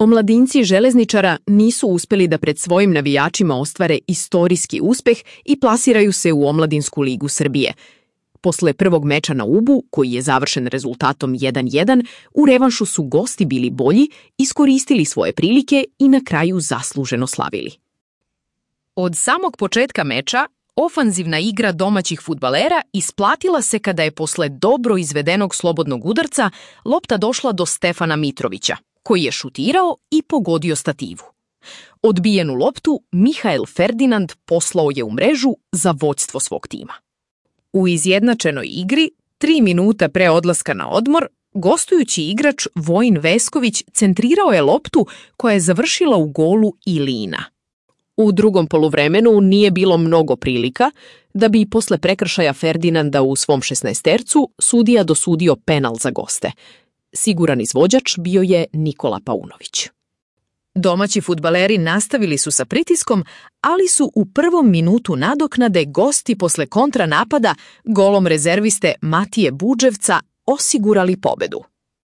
Omladinci Železničara nisu uspeli da pred svojim navijačima ostvare istorijski uspeh i plasiraju se u Omladinsku ligu Srbije. Posle prvog meča na Ubu, koji je završen rezultatom 1:1, u revanšu su gosti bili bolji, iskoristili svoje prilike i na kraju zasluženo slavili. Od samog početka meča, ofanzivna igra domaćih fudbalera isplatila se kada je posle dobro izvedenog slobodnog udarca lopta došla do Stefana Mitrovića, koji je šutirao i pogodio stativu. Odbijenu loptu Mihael Ferdinand poslao je u mrežu za vođstvo svog tima. U izjednačenoj igri, 3 minuta pre odlaska na odmor, gostujući igrač Vojin Vesković centrirao je loptu koja je završila u golu Ilina. U drugom poluvremenu nije bilo mnogo prilika da bi posle prekršaja Ferdinanda u svom 16-tercu sudija dosudio penal za goste. Siguran izvođač bio je Nikola Paunović. Domaći fudbaleri nastavili su sa pritiskom, ali su u prvom minutu nadoknade gosti posle kontranapada golom rezerviste Matije Budževca osigurali pobedu.